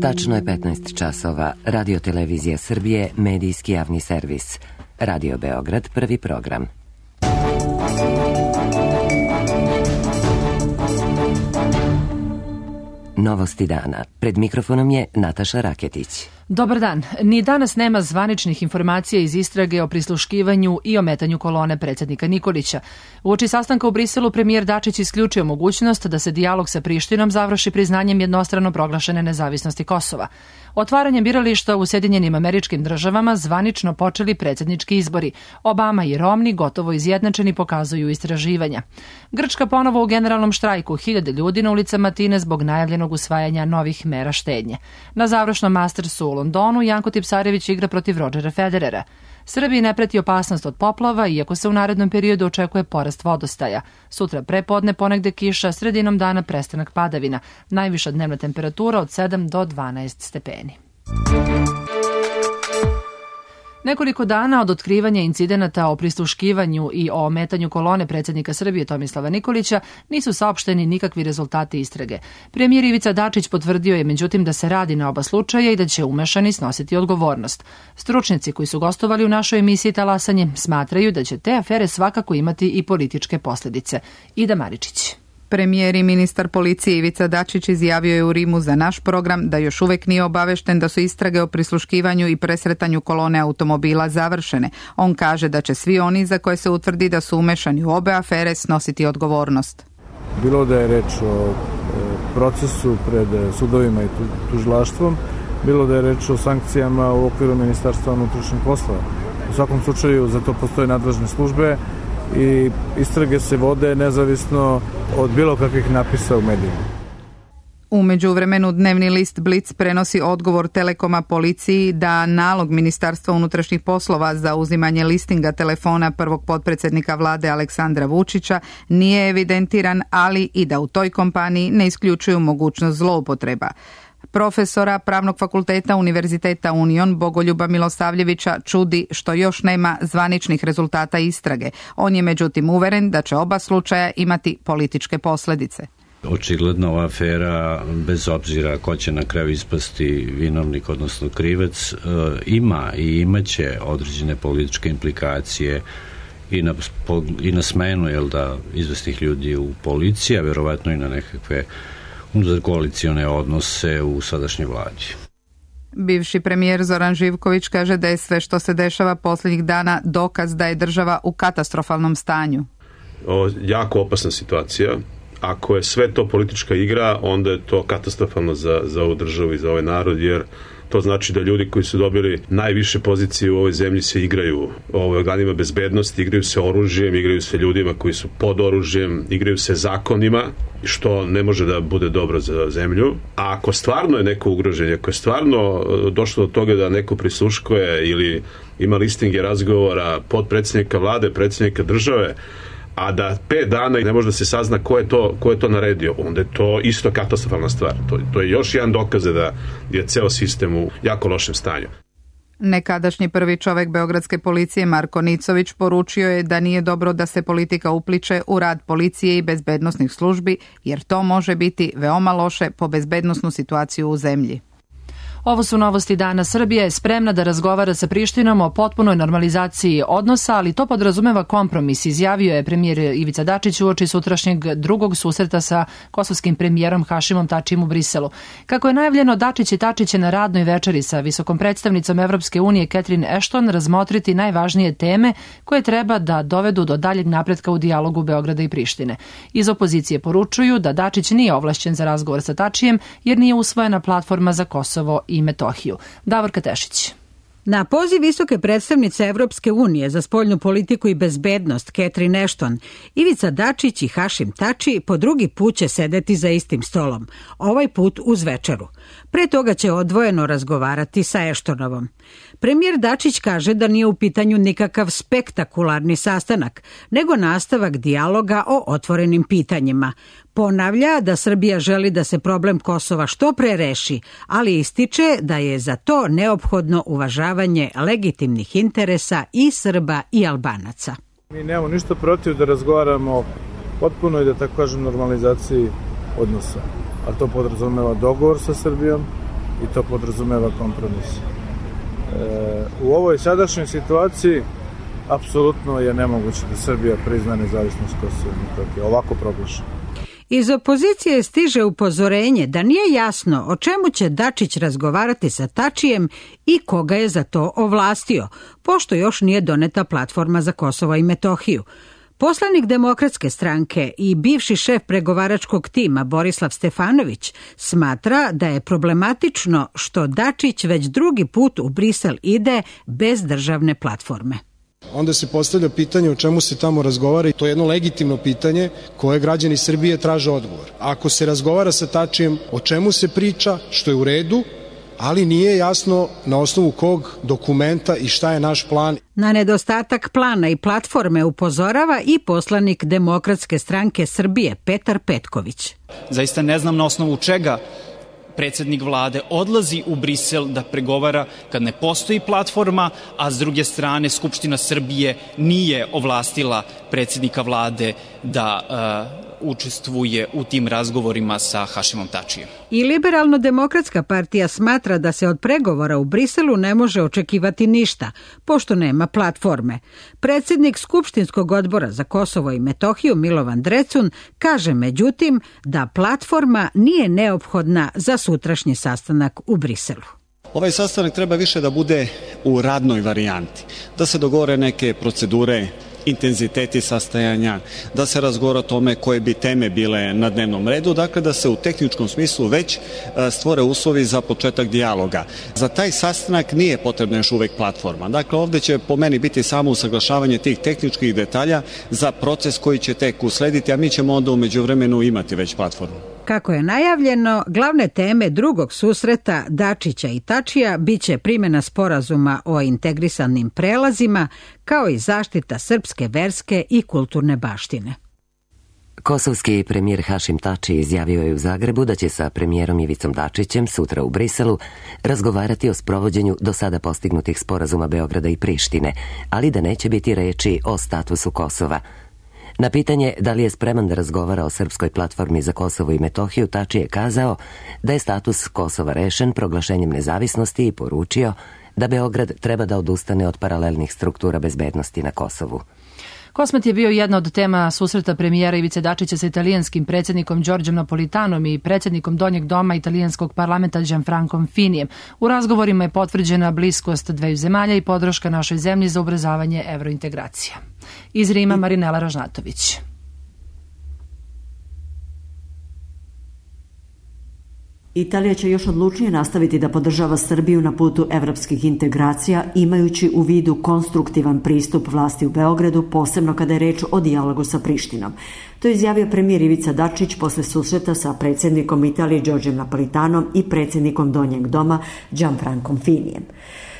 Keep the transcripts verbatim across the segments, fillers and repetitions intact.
Tačno je petnaest časova. Radio Televizija Srbije, medijski javni servis. Radio Beograd, prvi program. Novosti dana. Pred mikrofonom je Nataša Raketić. Dobar dan. Ni danas nema zvaničnih informacija iz istrage o prisluškivanju i ometanju kolone predsjednika Nikolića. Uoči sastanka u Briselu premijer Dačić isključio mogućnost da se dijalog sa Prištinom završi priznanjem jednostrano proglašene nezavisnosti Kosova. Otvaranjem birališta u Sjedinjenim Američkim Državama zvanično počeli predsjednički izbori. Obama i Romni gotovo izjednačeni pokazuju istraživanja. Grčka ponovo u generalnom štrajku, hiljade ljudi na ulicama Atine zbog najavljenog usvajanja novih mera štednje. Na završnom Mastersu u Londonu Janko Tipsarević igra protiv Rodgera Federera. Srbiji ne preti opasnost od poplava, iako se u narednom periodu očekuje porast vodostaja. Sutra prepodne ponegde kiša, sredinom dana prestanak padavina. Najviša dnevna temperatura od sedam do dvanaest stepeni. Nekoliko dana od otkrivanja incidenata o prisluškivanju i o ometanju kolone predsjednika Srbije Tomislava Nikolića nisu saopšteni nikakvi rezultati istrage. Premijer Ivica Dačić potvrdio je međutim da se radi na oba slučaja i da će umešani snositi odgovornost. Stručnjaci koji su gostovali u našoj emisiji Talasanje smatraju da će te afere svakako imati i političke posljedice. Ida Maričić. Premijer i ministar policije Ivica Dačić izjavio je u Rimu za naš program da još uvek nije obavešten da su istrage o prisluškivanju i presretanju kolone automobila završene. On kaže da će svi oni za koje se utvrdi da su umešani u obe afere snositi odgovornost. Bilo da je reč o procesu pred sudovima i tužilaštvom, bilo da je reč o sankcijama u okviru Ministarstva unutrašnjih poslova. U svakom slučaju za to postoje nadležne službe i istrage se vode nezavisno od bilo kakvih napisa u medijima. U međuvremenu dnevni list Blic prenosi odgovor Telekoma policiji da nalog Ministarstva unutrašnjih poslova za uzimanje listinga telefona prvog potpredsjednika vlade Aleksandra Vučića nije evidentiran, ali i da u toj kompaniji ne isključuju mogućnost zloupotreba. Profesora Pravnog fakulteta Univerziteta Union Bogoljuba Milosavljevića čudi što još nema zvaničnih rezultata istrage. On je međutim uveren da će oba slučaja imati političke posljedice. Očigledno ova afera, bez obzira ko će na kraju ispasti vinovnik, odnosno krivac, ima i imaće određene političke implikacije i na, i na smenu jel da, izvesnih ljudi u policiji, a verovatno i na nekakve koalicione odnose u sadašnjoj vladi. Bivši premijer Zoran Živković kaže da je sve što se dešava posljednjih dana dokaz da je država u katastrofalnom stanju. O, jako opasna situacija. Ako je sve to politička igra, onda je to katastrofalno za, za ovu državu i za ovaj narod, jer to znači da ljudi koji su dobili najviše pozicije u ovoj zemlji se igraju o organima bezbednosti, igraju se oružjem, igraju se ljudima koji su pod oružjem, igraju se zakonima, što ne može da bude dobro za zemlju. A ako stvarno je neko ugroženje, ako je stvarno došlo do toga da neko prisluškuje ili ima listinge razgovora podpredsjednika vlade, predsjednika države, a da pet dana ne može da se sazna ko je to, ko je to naredio, onda je to isto katastrofalna stvar. To, to je još jedan dokaz da je ceo sistem u jako lošem stanju. Nekadašnji prvi čovek beogradske policije Marko Nicović poručio je da nije dobro da se politika upliče u rad policije i bezbednosnih službi, jer to može biti veoma loše po bezbednosnu situaciju u zemlji. Ovo su novosti dana. Srbija je spremna da razgovara sa Prištinom o potpunoj normalizaciji odnosa, ali to podrazumeva kompromis, izjavio je premijer Ivica Dačić uoči sutrašnjeg drugog susreta sa kosovskim premijerom Hašimom Tačijem u Briselu. Kako je najavljeno, Dačić i Tačić će na radnoj večeri sa visokom predstavnicom Evropske unije Catherine Ashton razmotriti najvažnije teme koje treba da dovedu do daljeg napretka u dijalogu Beograda i Prištine. Iz opozicije poručuju da Dačić nije ovlašćen za razgovor sa Tačijem jer nije usvojena platforma za Kosovo i Metohiju. Davorka Tešić. Na poziv visoke predstavnice Evropske unije za spoljnu politiku i bezbednost Catherine Ashton, Ivica Dačić i Hašim Tači po drugi put će sedeti za istim stolom, ovaj put uz večeru. Pre toga će odvojeno razgovarati sa Ashtonovom. Premijer Dačić kaže da nije u pitanju nikakav spektakularni sastanak, nego nastavak dijaloga o otvorenim pitanjima. Ponavlja da Srbija želi da se problem Kosova što pre reši, ali ističe da je za to neophodno uvažavanje legitimnih interesa i Srba i Albanaca. Mi nemamo ništa protiv da razgovaramo potpuno i da tako kažem normalizaciji odnosa, a to podrazumeva dogovor sa Srbijom, i to podrazumeva kompromis. E, u ovoj sadašnjoj situaciji apsolutno je nemoguće da Srbija prizna nezavisnost Kosova i Metohije, ovako proglašeno. Iz opozicije stiže upozorenje da nije jasno o čemu će Dačić razgovarati sa Tačijem i koga je za to ovlastio, pošto još nije doneta platforma za Kosovo i Metohiju. Poslanik Demokratske stranke i bivši šef pregovaračkog tima Borislav Stefanović smatra da je problematično što Dačić već drugi put u Brisel ide bez državne platforme. Onda se postavlja pitanje o čemu se tamo razgovara i to je jedno legitimno pitanje koje građani Srbije traže odgovor. Ako se razgovara sa Tačijem, o čemu se priča, što je u redu, ali nije jasno na osnovu kog dokumenta i šta je naš plan. Na nedostatak plana i platforme upozorava i poslanik Demokratske stranke Srbije Petar Petković. Zaista ne znam na osnovu čega predsjednik vlade odlazi u Brisel da pregovara kad ne postoji platforma, a s druge strane Skupština Srbije nije ovlastila predsjednika vlade da uh, učestvuje u tim razgovorima sa Hašimom Tačijem. I Liberalno-demokratska partija smatra da se od pregovora u Briselu ne može očekivati ništa, pošto nema platforme. Predsjednik Skupštinskog odbora za Kosovo i Metohiju Milovan Drecun kaže međutim da platforma nije neophodna za sutrašnji sastanak u Briselu. Ovaj sastanak treba više da bude u radnoj varijanti, da se dogovore neke procedure, intenziteti sastajanja, da se razgovara o tome koje bi teme bile na dnevnom redu, dakle da se u tehničkom smislu već stvore uslovi za početak dijaloga. Za taj sastanak nije potrebna još uvek platforma. Dakle, ovde će po meni biti samo usaglašavanje tih tehničkih detalja za proces koji će tek uslediti, a mi ćemo onda u međuvremenu imati već platformu. Kako je najavljeno, glavne teme drugog susreta Dačića i Tačija biće primjena sporazuma o integrisanim prelazima, kao i zaštita srpske verske i kulturne baštine. Kosovski premijer Hašim Tači izjavio je u Zagrebu da će sa premijerom Ivicom Dačićem sutra u Briselu razgovarati o sprovođenju do sada postignutih sporazuma Beograda i Prištine, ali da neće biti reči o statusu Kosova. Na pitanje da li je spreman da razgovara o srpskoj platformi za Kosovo i Metohiju, Tači je kazao da je status Kosova rešen proglašenjem nezavisnosti i poručio da Beograd treba da odustane od paralelnih struktura bezbednosti na Kosovu. Kosmet je bio jedna od tema susreta premijera Ivice Dačića sa italijanskim predsjednikom Đorđem Napolitanom i predsjednikom Donjeg doma italijanskog parlamenta Gianfrancom Finijem. U razgovorima je potvrđena bliskost dveju zemalja i podrška našoj zemlji za ubrzavanje evrointegracija. Iz Rima Marinela Ražnatović. Italija će još odlučnije nastaviti da podržava Srbiju na putu evropskih integracija, imajući u vidu konstruktivan pristup vlasti u Beogradu, posebno kada je reč o dijalogu sa Prištinom. To je izjavio premijer Ivica Dačić posle susreta sa predsjednikom Italije Đorđem Napolitanom i predsjednikom Donjeg doma Gianfrancom Finijem.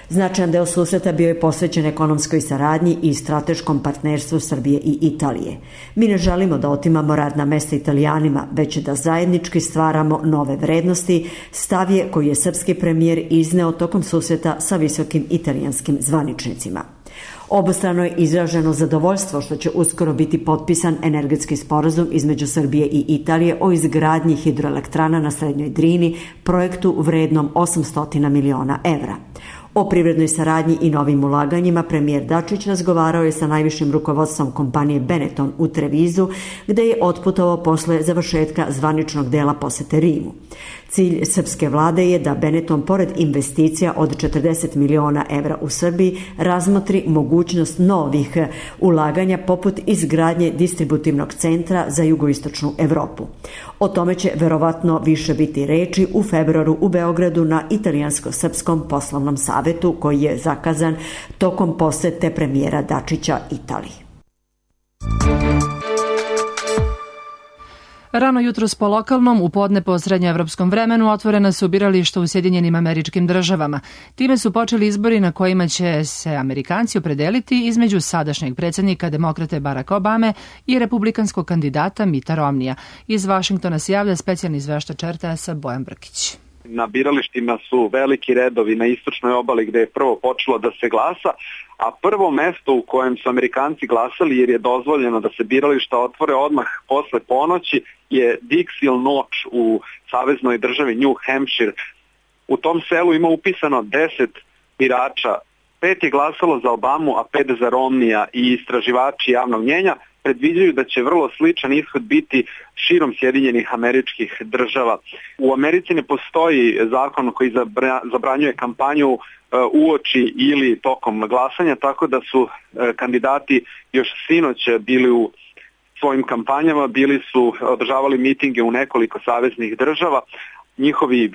Značajan deo susreta bio je posvećen ekonomskoj saradnji i strateškom partnerstvu Srbije i Italije. Mi ne želimo da otimamo radna mesta Italijanima, već da zajednički stvaramo nove vrednosti, stav je koji je srpski premijer izneo tokom susreta sa visokim italijanskim zvaničnicima. Obostrano je izraženo zadovoljstvo što će uskoro biti potpisan energetski sporazum između Srbije i Italije o izgradnji hidroelektrana na Srednjoj Drini, projektu vrednom osamsto miliona evra. O privrednoj saradnji i novim ulaganjima premijer Dačić razgovarao je sa najvišim rukovodstvom kompanije Benetton u Trevizu, gde je otputovao posle završetka zvaničnog dela posete Rimu. Cilj srpske vlade je da Benetton, pored investicija od četrdeset miliona evra u Srbiji, razmotri mogućnost novih ulaganja poput izgradnje distributivnog centra za jugoistočnu Evropu. O tome će verovatno više biti reči u februaru u Beogradu na italijansko-srpskom poslovnom savetu koji je zakazan tokom posete premijera Dačića Italiji. Rano jutros po lokalnom, u podne po srednjoevropskom vremenu otvorena su birališta u Sjedinjenim Američkim Državama. Time su počeli izbori na kojima će se Amerikanci opredeliti između sadašnjeg predsjednika demokrate Baracka Obame i republikanskog kandidata Mitta Romneya. Iz Vašingtona se javlja specijalni izveštač R T S-a Bojan Brkić. Na biralištima su veliki redovi na istočnoj obali gde je prvo počelo da se glasa, a prvo mesto u kojem su Amerikanci glasali, jer je dozvoljeno da se birališta otvore odmah posle ponoći, je Dixie Notch u saveznoj državi New Hampshire. U tom selu ima upisano deset birača. Pet je glasalo za Obamu, a pet za Romnija i istraživači javnog mnjenja predviđaju da će vrlo sličan ishod biti širom Sjedinjenih Američkih Država. U Americi ne postoji zakon koji zabranjuje kampanju uoči ili tokom glasanja, tako da su kandidati još sinoć bili u svojim kampanjama, bili su održavali mitinge u nekoliko saveznih država. Njihovi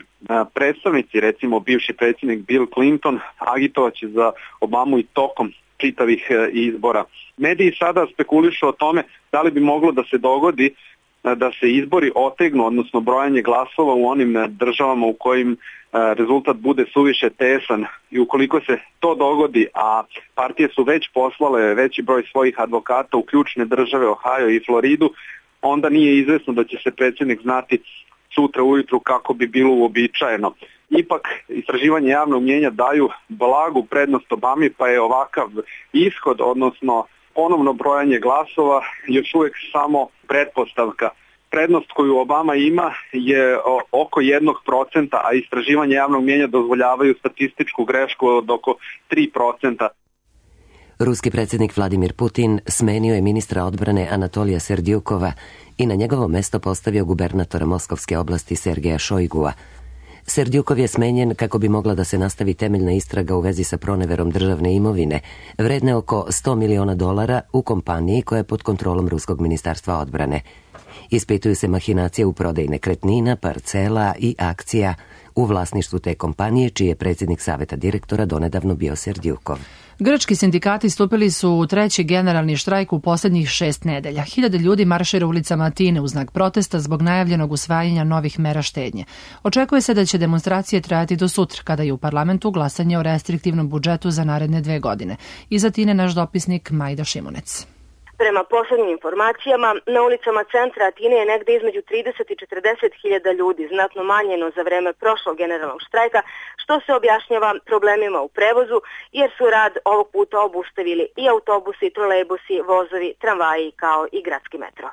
predstavnici, recimo bivši predsjednik Bill Clinton, agitovaće za Obamu i tokom čitavih izbora. Mediji sada spekulišu o tome da li bi moglo da se dogodi da se izbori otegnu, odnosno brojanje glasova u onim državama u kojim rezultat bude suviše tesan, i ukoliko se to dogodi, a partije su već poslale veći broj svojih advokata u ključne države Ohio i Floridu, onda nije izvesno da će se predsjednik znati sutra ujutru kako bi bilo uobičajeno. Ipak istraživanje javnog mnjenja daju blagu prednost Obami, pa je ovakav ishod, odnosno ponovno brojanje glasova, još uvijek samo pretpostavka. Prednost koju Obama ima je oko jednog procenta, a istraživanje javnog mnjenja dozvoljavaju statističku grešku od oko tri procenta. Ruski predsjednik Vladimir Putin smenio je ministra odbrane Anatolija Serdjukova i na njegovo mesto postavio gubernatora Moskovske oblasti Sergeja Šojgua. Serdjukov je smenjen kako bi mogla da se nastavi temeljna istraga u vezi sa proneverom državne imovine, vredne oko sto miliona dolara u kompaniji koja je pod kontrolom Ruskog ministarstva odbrane. Ispituju se mahinacije u prodaji nekretnina, parcela i akcija u vlasništvu te kompanije, čiji je predsjednik saveta direktora donedavno bio Serdjukov. Grčki sindikati stupili su u treći generalni štrajk u posljednjih šest nedelja. Hiljade ljudi maršira ulicama Atine u znak protesta zbog najavljenog usvajanja novih mera štednje. Očekuje se da će demonstracije trajati do sutra, kada je u parlamentu glasanje o restriktivnom budžetu za naredne dve godine. Iz Atine naš dopisnik Majda Šimunec. Prema poslednjim informacijama, na ulicama centra Atine je negde između trideset i četrdeset hiljada ljudi, znatno manjeno za vreme prošlog generalnog štrajka, što se objašnjava problemima u prevozu, jer su rad ovog puta obustavili i autobusi, trolejbusi, vozovi, tramvaji kao i gradski metro.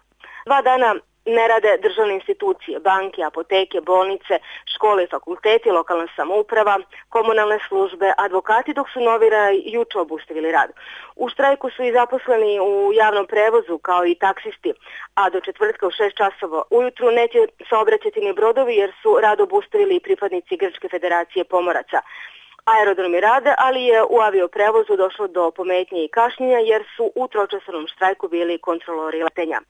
Dva dana ne rade državne institucije, banke, apoteke, bolnice, škole i fakulteti, lokalna samouprava, komunalne službe, advokati, dok su novinari juče obustavili rad. U štrajku su i zaposleni u javnom prevozu kao i taksisti, a do četvrtka u šest časova ujutru neće saobraćati ni brodovi jer su rad obustavili i pripadnici Grčke federacije pomoraca. Aerodromi rade, ali je u avioprevozu došlo do pometnje i kašnjenja jer su u tročasovnom štrajku bili kontrolori letenja.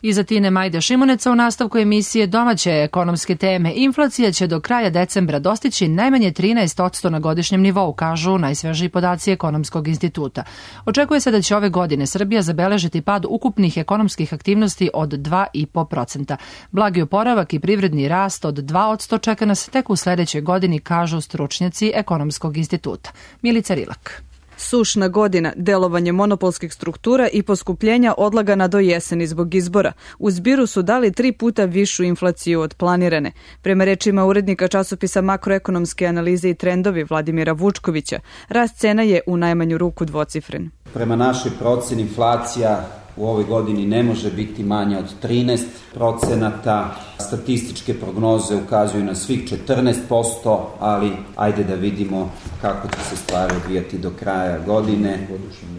Iz Atine Majda Šimuneca u nastavku emisije Domaće ekonomske teme. Inflacija će do kraja decembra dostići najmanje trinaest posto na godišnjem nivou, kažu najsvežiji podaci Ekonomskog instituta. Očekuje se da će ove godine Srbija zabeležiti pad ukupnih ekonomskih aktivnosti od dva i po procenta. Blagi oporavak i privredni rast od dva posto čeka nas tek u sledećoj godini, kažu stručnjaci Ekonomskog instituta. Milica Rilak. Sušna godina, delovanje monopolskih struktura i poskupljenja odlagana do jeseni zbog izbora. U zbiru su dali tri puta višu inflaciju od planirane. Prema rečima urednika časopisa Makroekonomske analize i trendovi Vladimira Vučkovića, rast cena je u najmanju ruku dvocifren. Prema našoj proceni inflacija u ovoj godini ne može biti manja od trinaest procenata. Statističke prognoze ukazuju na svih četrnaest posto, ali ajde da vidimo kako će se stvari odvijati do kraja godine.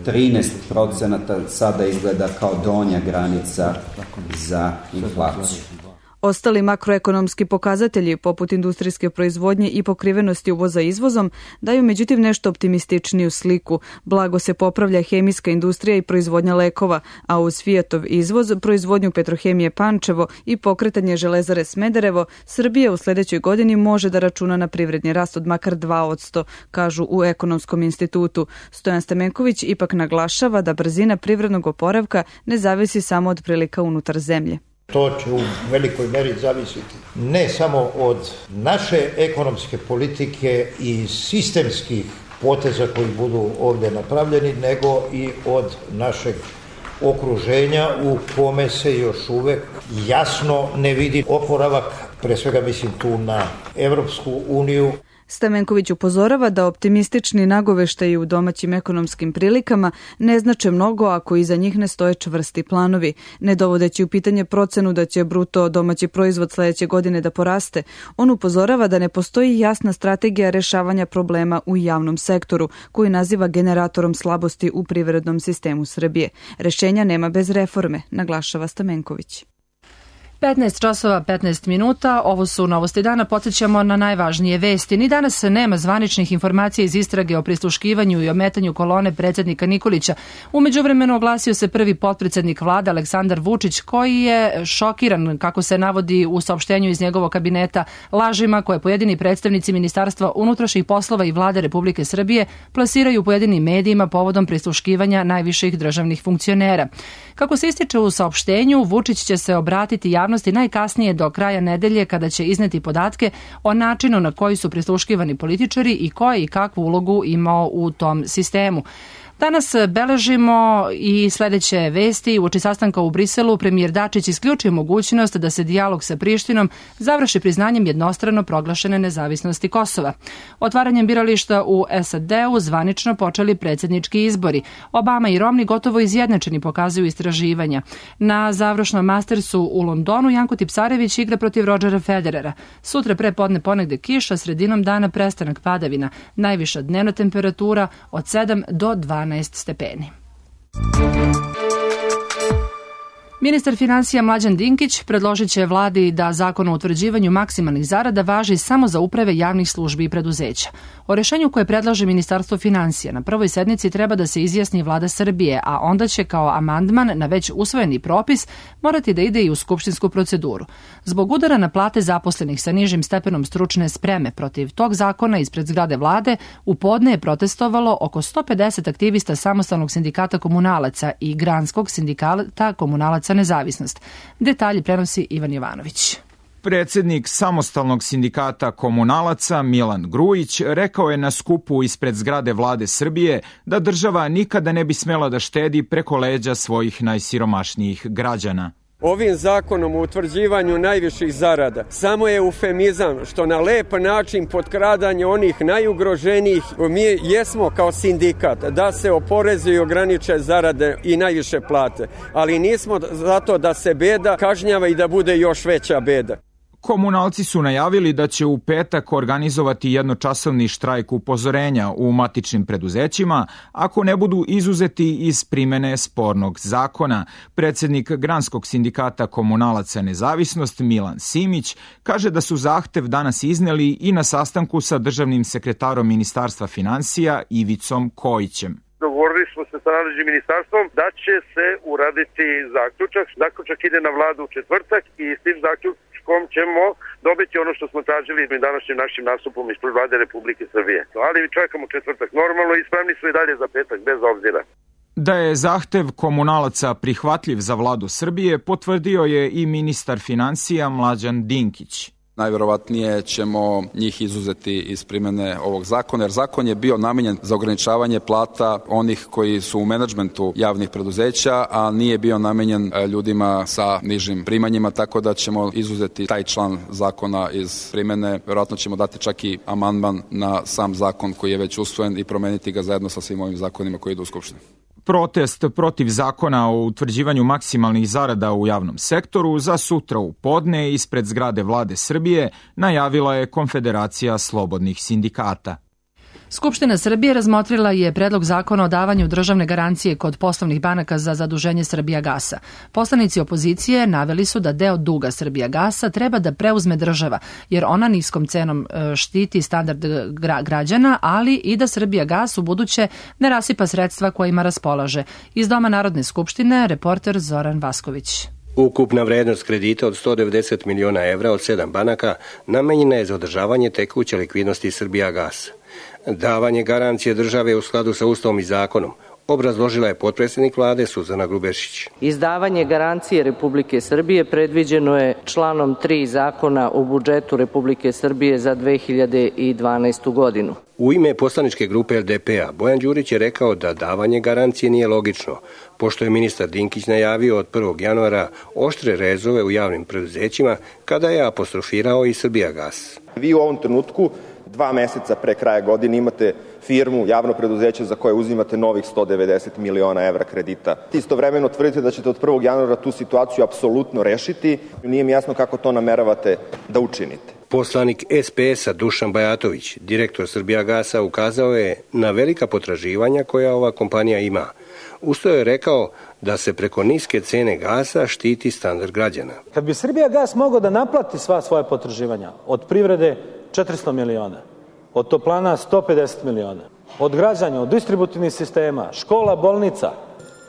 trinaest procenata sada izgleda kao donja granica za inflaciju. Ostali makroekonomski pokazatelji, poput industrijske proizvodnje i pokrivenosti uvoza izvozom, daju međutim nešto optimističniju sliku. Blago se popravlja hemijska industrija i proizvodnja lekova, a uz Fijatov izvoz, proizvodnju Petrohemije Pančevo i pokretanje železare Smederevo, Srbija u sledećoj godini može da računa na privredni rast od makar dva posto, kažu u Ekonomskom institutu. Stojan Stamenković ipak naglašava da brzina privrednog oporavka ne zavisi samo od prilika unutar zemlje. To će u velikoj meri zavisiti ne samo od naše ekonomske politike i sistemskih poteza koji budu ovdje napravljeni, nego i od našeg okruženja u kome se još uvek jasno ne vidi oporavak, pre svega mislim tu na Evropsku uniju. Stamenković upozorava da optimistični nagoveštaji u domaćim ekonomskim prilikama ne znače mnogo ako iza njih ne stoje čvrsti planovi. Ne dovodeći u pitanje procenu da će bruto domaći proizvod sledeće godine da poraste, on upozorava da ne postoji jasna strategija rešavanja problema u javnom sektoru, koji naziva generatorom slabosti u privrednom sistemu Srbije. Rešenja nema bez reforme, naglašava Stamenković. petnaest časova petnaest minuta, ovo su novosti dana, podsjećamo na najvažnije vesti. Ni danas nema zvaničnih informacija iz istrage o prisluškivanju i ometanju kolone predsjednika Nikolića. U međuvremenu oglasio se prvi potpredsednik vlade Aleksandar Vučić, koji je šokiran, kako se navodi u saopštenju iz njegovog kabineta, lažima koje pojedini predstavnici Ministarstva unutrašnjih poslova i vlade Republike Srbije plasiraju u pojedinim medijima povodom prisluškivanja najviših državnih funkcionera. Kako se ističe u saopštenju, Vučić će se obratiti javnosti najkasnije do kraja nedelje, kada će izneti podatke o načinu na koji su prisluškivani političari i ko je i kakvu ulogu imao u tom sistemu. Danas beležimo i sledeće vesti. Uoči sastanka u Briselu premijer Dačić isključio mogućnost da se dijalog sa Prištinom završi priznanjem jednostrano proglašene nezavisnosti Kosova. Otvaranjem birališta u S A D-u zvanično počeli predsjednički izbori. Obama i Romney gotovo izjednačeni, pokazuju istraživanja. Na završnom Mastersu u Londonu Janko Tipsarević igra protiv Rodgera Federera. Sutra pre podne ponegde kiša, sredinom dana prestanak padavina. Najviša dnevna temperatura od sedam do dvanaest stepeni. Ministar finansija Mlađan Dinkić predložit će vladi da zakon o utvrđivanju maksimalnih zarada važi samo za uprave javnih službi i preduzeća. O rešenju koje predlaže Ministarstvo finansija na prvoj sednici treba da se izjasni vlada Srbije, a onda će kao amandman na već usvojeni propis morati da ide i u skupštinsku proceduru. Zbog udara na plate zaposlenih sa nižim stepenom stručne spreme protiv tog zakona ispred zgrade vlade, u podne je protestovalo oko sto pedeset aktivista Samostalnog sindikata komunalaca i Granskog sindikata komunalaca Nezavisnost. Detalji prenosi Ivan Jovanović. Predsednik Samostalnog sindikata komunalaca Milan Grujić rekao je na skupu ispred zgrade vlade Srbije da država nikada ne bi smela da štedi preko leđa svojih najsiromašnijih građana. Ovim zakonom o utvrđivanju najviših zarada samo je eufemizam što na lep način potkradanje onih najugroženijih. Mi jesmo kao sindikat da se oporezuju i ograniče zarade i najviše plate, ali nismo zato da se beda kažnjava i da bude još veća beda. Komunalci su najavili da će u petak organizovati jednočasovni štrajk upozorenja u matičnim preduzećima ako ne budu izuzeti iz primene spornog zakona. Predsednik Granskog sindikata komunalaca Nezavisnost Milan Simić kaže da su zahtev danas izneli i na sastanku sa državnim sekretarom Ministarstva finansija Ivicom Kojićem. Dogovorili smo se sa nadležnim ministarstvom da će se uraditi zaključak. Zaključak ide na vladu u četvrtak i s tim zaključkom ćemo dobiti ono što smo tražili današnjim našim nastupom ispred vlade Republike Srbije. Ali čekamo četvrtak normalno i spremni smo i dalje za petak, bez obzira. Da je zahtev komunalaca prihvatljiv za vladu Srbije, potvrdio je i ministar finansija Mlađan Dinkić. Najverovatnije ćemo njih izuzeti iz primene ovog zakona, jer zakon je bio namenjen za ograničavanje plata onih koji su u menadžmentu javnih preduzeća, a nije bio namenjen ljudima sa nižim primanjima, tako da ćemo izuzeti taj član zakona iz primene. Verovatno ćemo dati čak i amandman na sam zakon koji je već usvojen i promeniti ga zajedno sa svim ovim zakonima koji idu u Skupštinu. Protest protiv zakona o utvrđivanju maksimalnih zarada u javnom sektoru za sutra u podne ispred zgrade vlade Srbije najavila je Konfederacija slobodnih sindikata. Skupština Srbije razmotrila je predlog zakona o davanju državne garancije kod poslovnih banaka za zaduženje Srbijagasa. Poslanici opozicije naveli su da deo duga Srbijagasa treba da preuzme država, jer ona niskom cenom štiti standard građana, ali i da Srbijagas u buduće ne rasipa sredstva kojima raspolaže. Iz Doma Narodne skupštine, reporter Zoran Vasković. Ukupna vrednost kredita od sto devedeset miliona evra od sedam banaka namenjena je za održavanje tekuće likvidnosti Srbijagasa. Davanje garancije države u skladu sa Ustavom i zakonom obrazložila je potpredsjednik vlade Suzana Grubešić. Izdavanje garancije Republike Srbije predviđeno je članom tri Zakona o budžetu Republike Srbije za dve hiljade dvanaestu godinu. U ime poslaničke grupe L D P-a Bojan Đurić je rekao da davanje garancije nije logično, pošto je ministar Dinkić najavio od prvog januara oštre rezove u javnim preduzećima kada je apostrofirao i Srbijagas. Vi u ovom trenutku Dva meseca pre kraja godine imate firmu, javno preduzeće za koje uzimate novih sto devedeset miliona evra kredita. Istovremeno tvrdite da ćete od prvog januara tu situaciju apsolutno rešiti. Nije mi jasno kako to nameravate da učinite. Poslanik S P S-a Dušan Bajatović, direktor Srbijagasa, ukazao je na velika potraživanja koja ova kompanija ima. Usto je rekao da se preko niske cene gasa štiti standard građana. Kad bi Srbijagas mogao da naplati sva svoje potraživanja, od privrede četiristo miliona, od toplana sto pedeset miliona, od građana, od distributivnih sistema, škola, bolnica,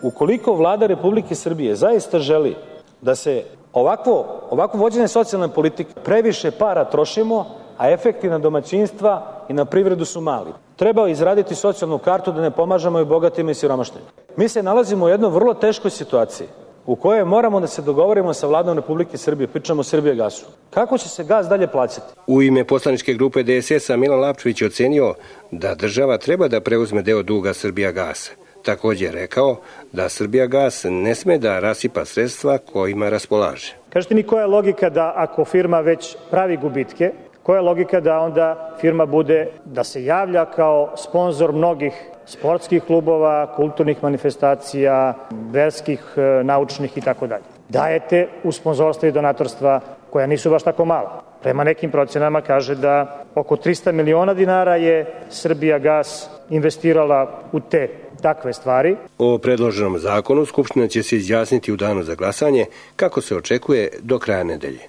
ukoliko vlada Republike Srbije zaista želi da se ovakvo, ovakvo vođenje socijalne politike previše para trošimo, a efekti na domaćinstva i na privredu su mali. Treba izraditi socijalnu kartu da ne pomažemo i bogatima i siromašnima. Mi se nalazimo u jednoj vrlo teškoj situaciji u kojoj moramo da se dogovorimo sa vladom Republike Srbije, pričamo o Srbijagasu. Kako će se gas dalje plaćati? U ime poslaničke grupe D S S-a Milan Lapčević je ocenio da država treba da preuzme deo duga Srbijagasa. Također je rekao da Srbijagas ne sme da rasipa sredstva kojima raspolaže. Kažete mi koja je logika da ako firma već pravi gubitke, koja je logika da onda firma bude, da se javlja kao sponzor mnogih sportskih klubova, kulturnih manifestacija, verskih, naučnih i tako dalje. Dajete u sponzorstva i donatorstva koja nisu baš tako mala. Prema nekim procenama kaže da oko trista miliona dinara je Srbijagas investirala u te takve stvari. O predloženom zakonu Skupština će se izjasniti u danu za glasanje, kako se očekuje do kraja nedelje.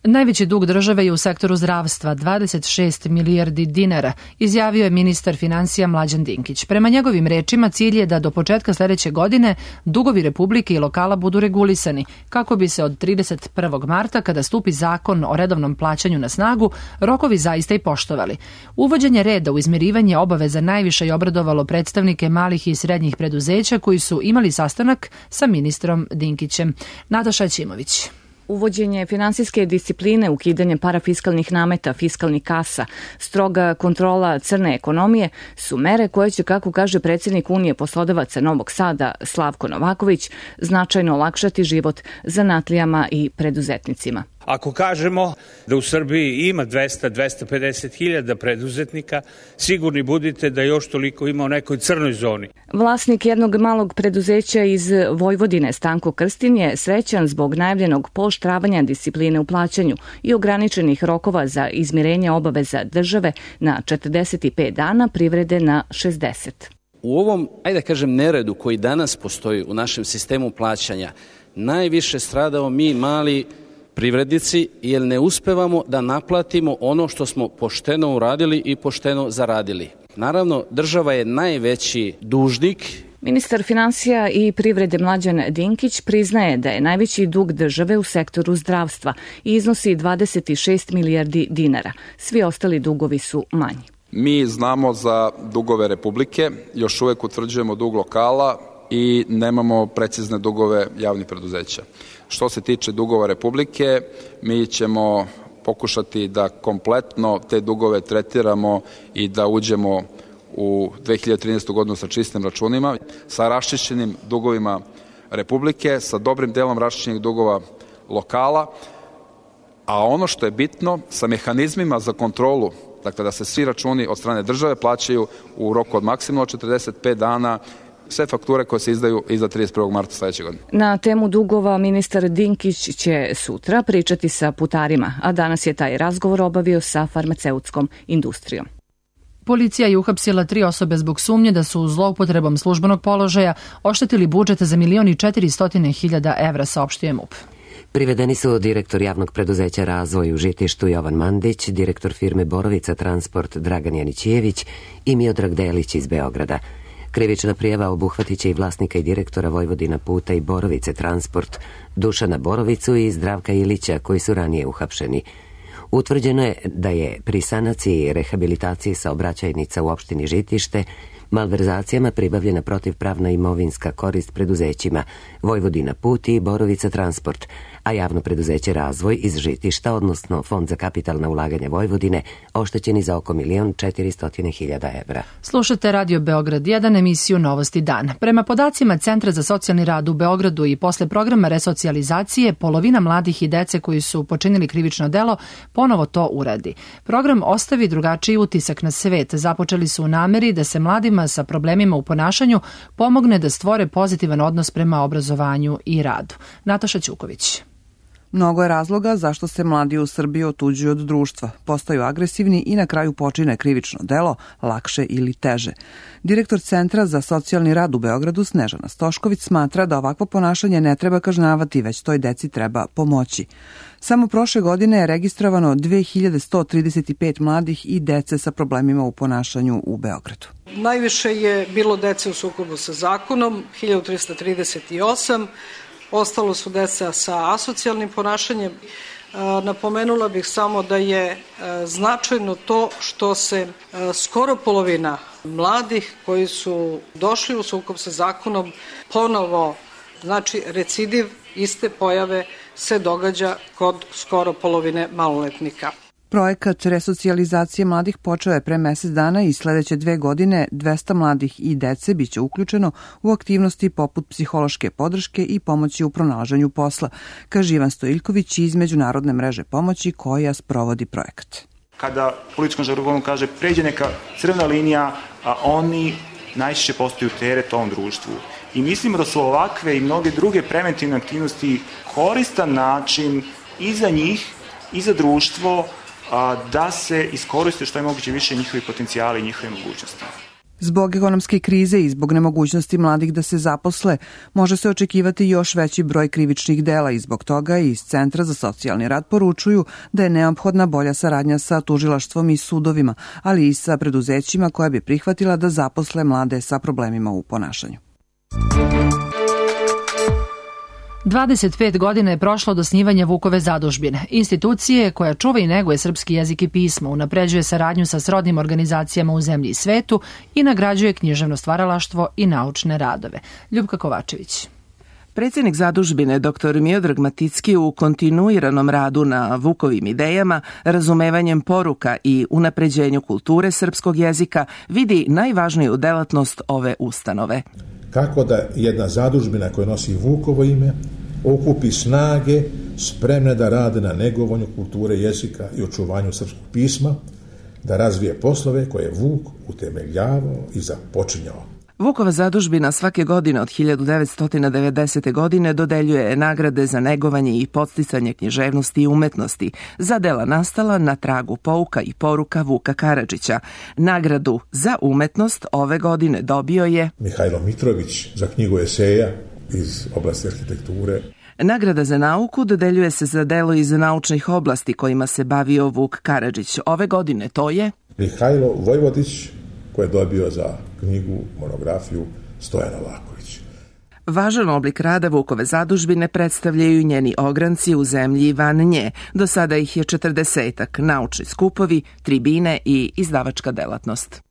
Najveći dug države je u sektoru zdravstva, dvadeset šest milijardi dinara, izjavio je ministar finansija Mlađan Dinkić. Prema njegovim rečima, cilj je da do početka sledeće godine dugovi Republike i lokala budu regulisani, kako bi se od trideset prvog marta, kada stupi zakon o redovnom plaćanju na snagu, rokovi zaista i poštovali. Uvođenje reda u izmirivanje obaveza najviše je obradovalo predstavnike malih i srednjih preduzeća koji su imali sastanak sa ministrom Dinkićem. Nataša Ćimović. Uvođenje finansijske discipline, ukidanje parafiskalnih nameta, fiskalnih kasa, stroga kontrola crne ekonomije su mere koje će, kako kaže predsjednik Unije poslodavaca Novog Sada Slavko Novaković, značajno olakšati život zanatlijama i preduzetnicima. Ako kažemo da u Srbiji ima dvesta do dvesta pedeset hiljada preduzetnika, sigurni budite da još toliko ima u nekoj crnoj zoni. Vlasnik jednog malog preduzeća iz Vojvodine, Stanko Krstin, je srećan zbog najavljenog pooštravanja discipline u plaćanju i ograničenih rokova za izmirenje obaveza države na četrdeset pet dana, privrede na šezdeset. U ovom, ajde da kažem, neredu koji danas postoji u našem sistemu plaćanja, najviše stradao mi mali privrednici, jer ne uspevamo da naplatimo ono što smo pošteno uradili i pošteno zaradili. Naravno, država je najveći dužnik. Ministar finansija i privrede Mlađan Dinkić priznaje da je najveći dug države u sektoru zdravstva i iznosi dvadeset šest milijardi dinara. Svi ostali dugovi su manji. Mi znamo za dugove Republike, još uvek utvrđujemo dug lokala i nemamo precizne dugove javnih preduzeća. Što se tiče dugova Republike, mi ćemo pokušati da kompletno te dugove tretiramo i da uđemo u dve hiljade trinaestu. godinu sa čistim računima, sa raščišćenim dugovima Republike, sa dobrim delom raščišćenih dugova lokala, a ono što je bitno, sa mehanizmima za kontrolu, dakle da se svi računi od strane države plaćaju u roku od maksimalno četrdeset pet dana, sve fakture koje se izdaju iza trideset prvog marta sledeće godine. Na temu dugova ministar Dinkić će sutra pričati sa putarima, a danas je taj razgovor obavio sa farmaceutskom industrijom. Policija je uhapsila tri osobe zbog sumnje da su zloupotrebom službenog položaja oštetili budžet za milion i četiristo hiljada evra, saopštio je M U P. Privedeni su direktor javnog preduzeća Razvoj u Žitištu Jovan Mandić, direktor firme Borovica Transport Dragan Janićijević i Miodrag Delić iz Beograda. Krivična prijava obuhvatit će i vlasnika i direktora Vojvodina puta i Borovice Transport, Dušana Borovicu i Zdravka Ilića, koji su ranije uhapšeni. Utvrđeno je da je pri sanaciji i rehabilitaciji saobraćajnica u opštini Žitište malverzacijama pribavljena protivpravna imovinska korist preduzećima Vojvodina put i Borovica Transport, a javno preduzeće Razvoj iz Žitišta, odnosno Fond za kapitalna ulaganja Vojvodine, oštećeni za oko milion četiristotina hiljada evra. Slušate Radio Beograd jedan, emisiju Novosti dan. Prema podacima Centra za socijalni rad u Beogradu i posle programa resocijalizacije, polovina mladih i dece koji su počinili krivično delo ponovo to uradi. Program ostavi drugačiji utisak na svet. Započeli su u nameri da se mladima sa problemima u ponašanju pomogne da stvore pozitivan odnos prema obrazovanju i radu. Nataša Ćuković. Mnogo je razloga zašto se mladi u Srbiji otuđuju od društva, postaju agresivni i na kraju počine krivično delo, lakše ili teže. Direktor Centra za socijalni rad u Beogradu Snežana Stošković smatra da ovakvo ponašanje ne treba kažnjavati, već toj deci treba pomoći. Samo prošle godine je registrovano dve hiljade sto trideset pet mladih i dece sa problemima u ponašanju u Beogradu. Najviše je bilo dece u sukobu sa zakonom, hiljadu trista trideset osam, ostalo su deca sa asocijalnim ponašanjem. Napomenula bih samo da je značajno to što se skoro polovina mladih koji su došli u sukob sa zakonom ponovo, znači recidiv iste pojave se događa kod skoro polovine maloletnika. Projekat resocijalizacije mladih počeo je pre mesec dana i sledeće dve godine dvesta mladih i dece biće uključeno u aktivnosti poput psihološke podrške i pomoći u pronalaženju posla, kaže Ivan Stojiljković iz Međunarodne mreže pomoći koja sprovodi projekat. Kada političkom žargonu kaže pređe neka crvena linija, a oni najčešće postaju teret ovom društvu. I mislimo da su ovakve i mnoge druge preventivne aktivnosti koristan način i za njih i za društvo da se iskoriste što je moguće više njihovi potencijali i njihove mogućnosti. Zbog ekonomske krize i zbog nemogućnosti mladih da se zaposle, može se očekivati još veći broj krivičnih dela i zbog toga iz Centra za socijalni rad poručuju da je neophodna bolja saradnja sa tužilaštvom i sudovima, ali i sa preduzećima koja bi prihvatila da zaposle mlade sa problemima u ponašanju. dvadeset pet godina je prošlo od osnivanja Vukove zadužbine, institucije koja čuva i neguje srpski jezik i pismo, unapređuje saradnju sa srodnim organizacijama u zemlji i svetu i nagrađuje književno stvaralaštvo i naučne radove. Ljubka Kovačević. Predsjednik zadužbine dr Miodrag Maticki u kontinuiranom radu na Vukovim idejama, razumevanjem poruka i unapređenju kulture srpskog jezika vidi najvažniju delatnost ove ustanove. Kako da jedna zadužbina koja nosi Vukovo ime okupi snage spremne da rade na negovanju kulture jezika i očuvanju srpskog pisma, da razvije poslove koje je Vuk utemeljavao i započinjao. Vukova zadužbina svake godine od hiljadu devetsto devedesete. godine dodeljuje nagrade za negovanje i podsticanje književnosti i umetnosti za dela nastala na tragu pouka i poruka Vuka Karadžića. Nagradu za umetnost ove godine dobio je Mihajlo Mitrović za knjigu eseja iz oblasti arhitekture. Nagrada za nauku dodeljuje se za delo iz naučnih oblasti kojima se bavio Vuk Karadžić. Ove godine to je Mihajlo Vojvodić, koji je dobio za knjigu, monografiju Stojan Novaković. Važan oblik rada Vukove zadužbine predstavljaju njeni ogranci u zemlji van nje. Do sada ih je četrdesetak, naučni skupovi, tribine i izdavačka delatnost.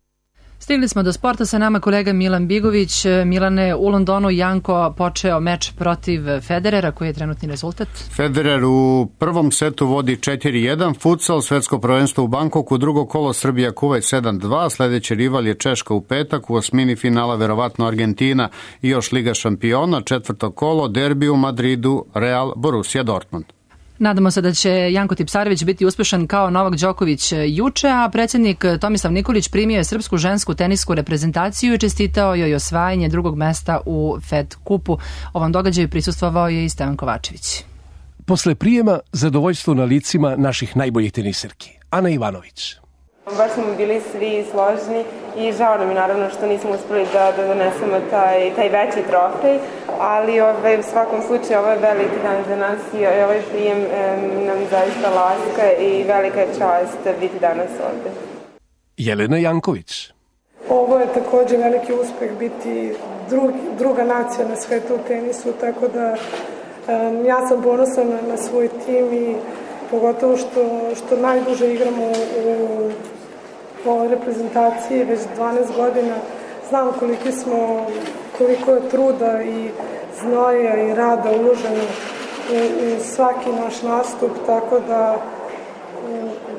Stigli smo do sporta, sa nama kolega Milan Bigović. Milane, u Londonu Janko počeo meč protiv Federera, koji je trenutni rezultat? Federer u prvom setu vodi četiri jedan, futsal, svetsko prvenstvo u Bankoku, drugo kolo Srbija Kuvajt sedam dva, sledeći rival je Češka u petak, u osmini finala verovatno Argentina i još Liga šampiona, četvrto kolo derbi u Madridu, Real Borussia Dortmund. Nadamo se da će Janko Tipsarević biti uspešan kao Novak Đoković juče, a predsjednik Tomislav Nikolić primio je srpsku žensku tenisku reprezentaciju i čestitao joj osvajanje drugog mesta u Fed kupu. Ovom događaju prisustvovao je i Stevan Kovačević. Posle prijema, zadovoljstvo na licima naših najboljih teniserki. Ana Ivanović. Baš smo bili svi složni i žao nam je naravno što nismo uspeli da, da donesemo taj, taj veći trofej, ali ove, u svakom slučaju ovo je veliki dan za nas i ovaj prijem e, nam zaista laska i velika je čast biti danas ovde. Jelena Janković. Ovo je također veliki uspeh biti drug, druga nacija na svetu u tenisu, tako da e, ja sam ponosan na, na svoj tim i pogotovo što, što najduže igramo u u ovoj reprezentaciji već dvanaest godina. Znam koliko smo, koliko je truda i znoja i rada uloženo u, u svaki naš nastup, tako da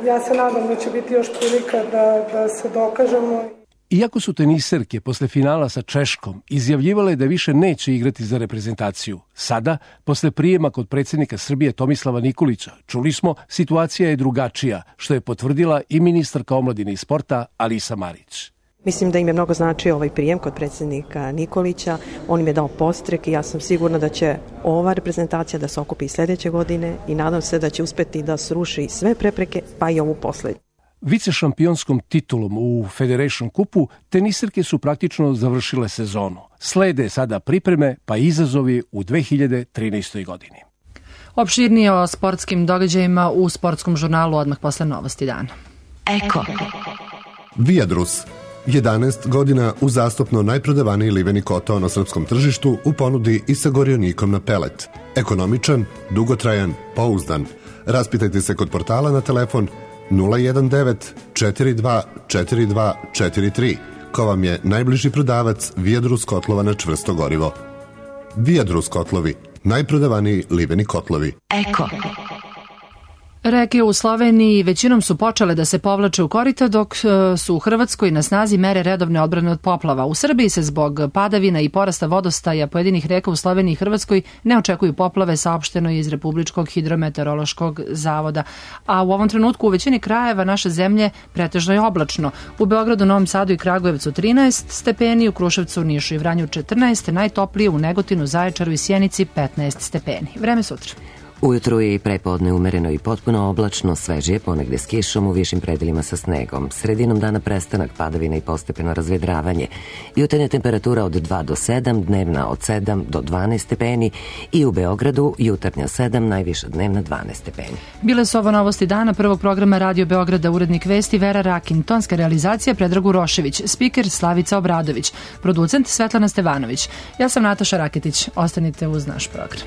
ja se nadam da će biti još prilika da, da se dokažemo. Iako su teniserke posle finala sa Češkom izjavljivale da više neće igrati za reprezentaciju, sada, posle prijema kod predsjednika Srbije Tomislava Nikolića, čuli smo, situacija je drugačija, što je potvrdila i ministarka omladine i sporta Alisa Marić. Mislim da im je mnogo značio ovaj prijem kod predsjednika Nikolića, on im je dao podstrek i ja sam sigurna da će ova reprezentacija da se okupi sljedeće godine i nadam se da će uspeti da sruši sve prepreke, pa i ovu poslednju. Vicešampionskom titulom u Federation Kupu teniserke su praktično završile sezonu. Slede sada pripreme pa izazovi u dve hiljade trinaestoj. godini. Opširnije o sportskim događajima u sportskom žurnalu odmah posle novosti dana. Eko. Viadrus. jedanaest godina uzastopno najprodavaniji liveni kotao na srpskom tržištu u ponudi i sa gorionikom na pelet. Ekonomičan, dugotrajan, pouzdan. Raspitajte se kod portala na telefon nula jedan devet četiri dva četiri dva četiri tri, ko vam je najbliži prodavac Viadrus kotlova na čvrsto gorivo. Viadrus kotlovi, najprodavaniji liveni kotlovi. Eko. Reke u Sloveniji većinom su počele da se povlače u korita, dok su u Hrvatskoj na snazi mere redovne odbrane od poplava. U Srbiji se zbog padavina i porasta vodostaja pojedinih reka u Sloveniji i Hrvatskoj ne očekuju poplave, saopšteno iz Republičkog hidrometeorološkog zavoda. A u ovom trenutku u većini krajeva naše zemlje pretežno je oblačno. U Beogradu, Novom Sadu i Kragujevcu trinaest stepeni, u Kruševcu, Nišu i Vranju četrnaest, najtoplije u Negotinu, Zaječaru i Sjenici petnaest stepeni. Vreme sutra. Ujutru je i prepodne umereno i potpuno oblačno, svežije, ponegde s kišom, u višim predelima sa snegom. Sredinom dana prestanak padavina i postepeno razvedravanje. Jutarnja temperatura od dva do sedam, dnevna od sedam do dvanaest stepeni i u Beogradu jutarnja sedam, najviša dnevna dvanaest stepeni. Bile su ovo novosti dana prvog programa Radio Beograda, urednik vesti Vera Rakin, tonska realizacija Predrag Urošević, spiker Slavica Obradović, producent Svetlana Stevanović. Ja sam Nataša Raketić. Ostanite uz naš program.